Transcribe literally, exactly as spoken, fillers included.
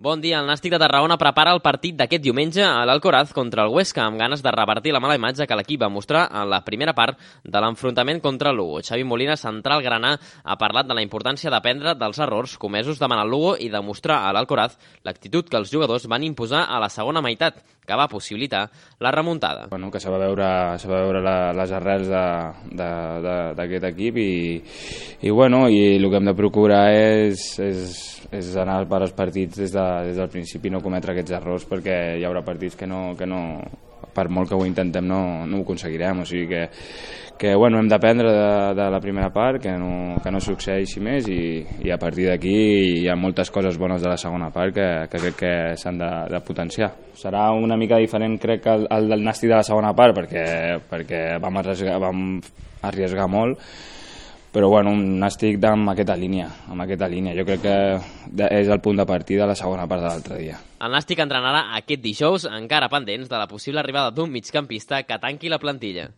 Bon dia. El Nàstic de Tarragona prepara el partit d'aquest diumenge a l'Alcoraz contra el Huesca, amb ganes de revertir la mala imatge que l'equip va mostrar en la primera part de l'enfrontament contra el Lugo. Xavi Molina, central granà, ha parlat de la importància d'aprendre dels errors comesos davant el Lugo i de mostrar a l'Alcoraz l'actitud que els jugadors van imposar a la segona meitat, que va possibilitar la remuntada. Bueno, que se va veure, se va veure la, les arrels d'aquest equip i, i, bueno, i el que hem de procurar és, és, és anar per als partits des, de, des del principi i no cometre aquests errors, perquè hi haurà partits que no, que no per molt que ho intentem no, no ho aconseguirem, o sigui que, que bueno, hem d'aprendre de, de la primera part, que no, que no succeeixi més i, i a partir d'aquí hi ha moltes coses bones de la segona part que, que crec que s'han de, de potenciar. Serà una mica diferent, crec, que el, el del Nàstic de la segona part, perquè, perquè vam, arriesgar, vam arriesgar molt, però bueno, un Nàstic amb aquesta línia, amb aquesta línia. Jo crec que és el punt de partida de la segona part de l'altre dia. El Nàstic entrenarà aquest dijous, encara pendents de la possible arribada d'un migcampista que tanqui la plantilla.